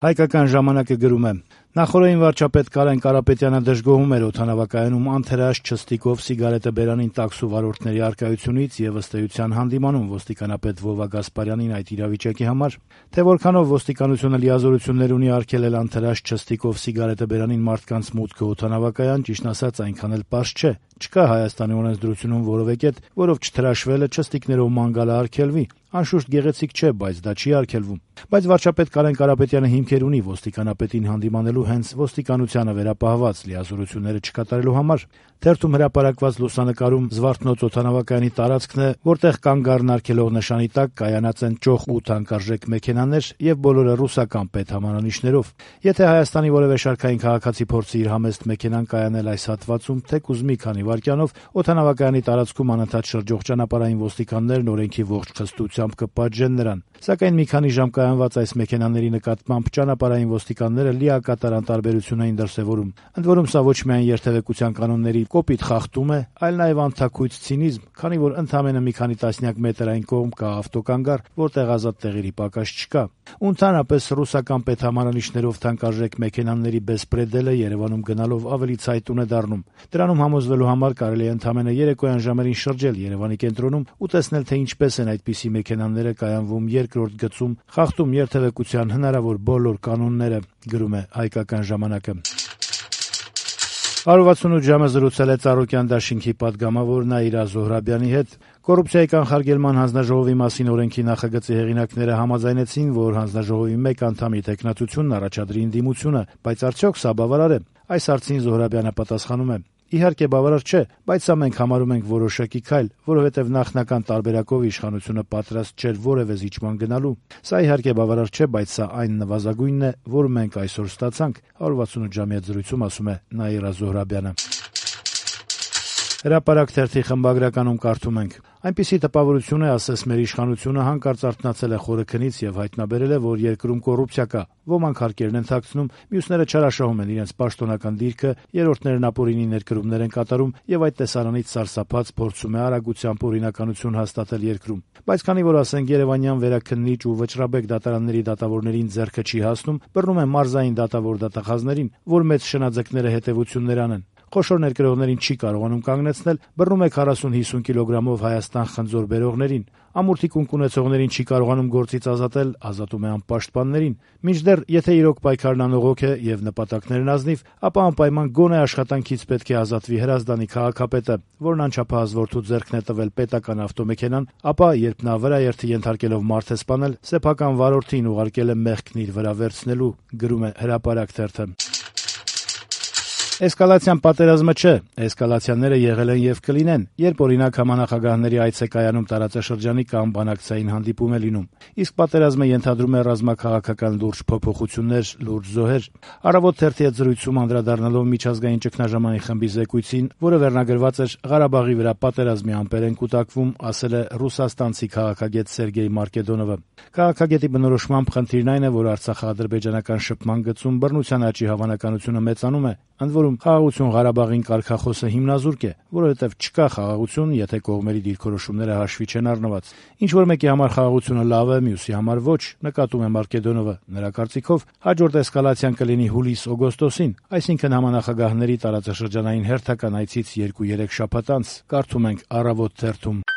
Հայկական ժամանակը գրում է. նախորդին վարչապետ Կարեն Կարապետյանը դժգոհում էր օդանավակայանում անթերաշ չստիկով սիգարետը բերանին տաքսու վարորդների առկայությունից եւ ըստ էության հանդիմանում ոստիկանապետ Վովա Գասպարյանին այդ իրավիճակի համար, թե որքանով ոստիկանությունը լիազորություններ ունի արգելել անթերաշ չստիկով սիգարետը բերանին մարդկանց մուտքը օդանավակայան, ճիշտն ասած այնքան էլ պարզ չէ։ Չկա Հայաստանի օրենսդրությունում որևէ կետ, որով չթրաշվելը չստիկներով ման գալը արգելվի։ Անշուշտ գեղեցիկ չէ, բայց դա չի արգելվում։ Բայց վարչապետ Կարեն Կարապետյանը հիմքեր ունի ոստիկանապետին հանդիմանելու հենց ոստիկանությանը վերապահված լիազորությունները չկատարելու համար։ Թերթում հրապարակված լուսանկարում Զվարթնոց օդանավակայանի տարածքն է, որտեղ կան գառնարկելով նշանի տակ կայանած են ճոխ 8 թանկարժեք մեքենաներ եւ բոլորը ռուսական պետհամանանիշներով։ Եթե Հայաստանի որևէ շարքային քաղաքացի փորձի իր համեստ մեքենան կայանել այս հատվածում, թեկուզ մի քանի վայրկյանով օդանավակայանի տարածքում անընդհատ շրջող ճանապարհային ոստիկաններն օրենքի ողջ խստությամբ կպատժեն նրան։ Սակայն մի քանի ժամ կայանված այս մեքենաների նկատմամբ ճանապարհային ոստիկանները լիակատար անտարբերություն էին դրսևորում։ Ընդ որում սա ոչ միայն երթևեկության կանոնների կոպիտ խախտում է, այլ նաև անթաքույց ցինիզմ, քանի որ ընդամենը մի քանի տասնյակ մետր այն կողմ կա ավտոկանգար, որտեղ ազատ տեղերի պակաս չկա։ Ու ընդհանրապես ռուսական պետհամանանիշներով թանկարժեք մեքենաների բեսպրեդելը Երևանում գնալով ավելի ցայտուն է դառնում։ Դրանում համոզվելու համար կարելի է ընդամենը երեկոյան ժամերին շրջել Երևանի կենտրոնում ու տեսնել, թե ինչպես են այդպիսի մեքենաները կայանվում երկրորդ գծում, խախտում երթևեկության հնարավոր բոլոր կանոնները, գրում է Հայկական ժամանակը։ 168 ժամը զրուցել է Ծառուկյան դաշինքի պատգամավոր Նաիրա Զոհրաբյանի հետ։ Կոռուպցիայի կանխարգելման հանձնաժողովի մասին օրենքի նախագծի հեղինակները համաձայնեցին, որ հանձնաժողովի մեկ անդամի տեխնացությունն առաջադրի ընդդիմությունը, բայց արդյոք սա բավարար է։ Այս հարցին Զոհրաբյանը պատասխանում է. Իհարկե բավարար չէ, բայց սա մենք համարում ենք որոշակի քայլ, որովհետև նախնական տարբերակով իշխանությունը պատրաստ չէր որևէ զիջման գնալու։ Սա իհարկե բավարար չէ, բայց սա այն նվազագույնն է, որ մենք այսօր ստացանք, 168 ժամի հետ զրույցում ասում է Նաիրա Զոհրաբյանը։ Հրապարակ թերթի խմբագրականում կարդում ենք. այնպիսի տպավորություն է, ասես մեր իշխանությունը հանկարծ արթնացել է խորը քնից եւ հայտնաբերել է, որ երկրում կոռուպցիա կա։ Ոմանք հարկերն են թաքցնում, մյուսները չարաշահում են իրենց պաշտոնական դիրքը, երրորդներն ապօրինի ներկրումներ են կատարում եւ այդ տեսարանից սարսափած փորձում է արագությամբ օրինականություն հաստատել երկրում։ Բայց քանի որ ասենք Երևանյան վերաքննիչ ու վճռաբեկ դատարանների դատավորներին ձեռքը չի հասնում, բռնում են մարզային դատավոր դատախազներին, որ մեծ շնաձկները հետեւություններ անեն։ Խոշոր ներկրողներին չի կարողանում կանգնեցնել, բռնում է 40-50 կիլոգրամով Հայաստան խնձոր բերողներին, ամուրթի կունք ունեցողներին չի կարողանում գործից ազատել, ազատում է անպաշտպաններին։ Մինչդեռ, եթե իրոք պայքարն անողոք է եւ նպատակներն ազնիվ, ապա անպայման գոնե աշխատանքից պետք է ազատվի Հրազդանի քաղաքապետը, որն անչափահաս որդու ձեռքն է տվել պետական ավտոմեքենան, ապա երբ նա վրաերթի ենթարկելով մարդ է սպանել, սեփական վարորդին ուղարկել է մեղքն իր վրա վերցնելու, գրում է Հրապարակ թերթը։ Էսկալացիան պատերազմը չէ, էսկալացիաները եղել են եւ կլինեն, երբ օրինակ համանախագահների այց է կայանում տարածաշրջանի կամ բանակցային հանդիպում է լինում։ Իսկ պատերազմը ենթադրում է ռազմաքաղաքական լուրջ փոփոխություններ, լուրջ զոհեր։ Առավոտ թերթի հետ զրույցում անդրադառնալով միջազգային ճգնաժամային խմբի զեկույցին, որը վերնագրված էր Ղարաբաղի վրա պատերազմի ամպեր են կուտակվում, ասել է ռուսաստանցի քաղաքագետ Սերգեյ Մարկեդոնովը։ Քաղաքագետի բնորոշմամբ խնդիրն այն է, որ Արցախա-ադրբեջանական շփման գծում բռնության աճի հավանականությունը մեծանում է։ Ընդ որում խաղաղություն Ղարաբաղին կարգախոսը հիմնազուրկ է, որովհետև չկա խաղաղություն, եթե կողմերի դիրքորոշումները հաշվի չեն առնված։ Ինչ որ մեկի համար խաղաղությունը լավ է, մյուսի համար ոչ, նկատում է Մարկեդոնովը։ Նրա կարծիքով հաջորդ էսկալացիան կլինի հուլիս-օգոստոսին, այսինքն համանախագահների տարածաշրջանային հերթական այցից 2-3 շաբաթ անց, կարդում ենք Առավոտ թերթում։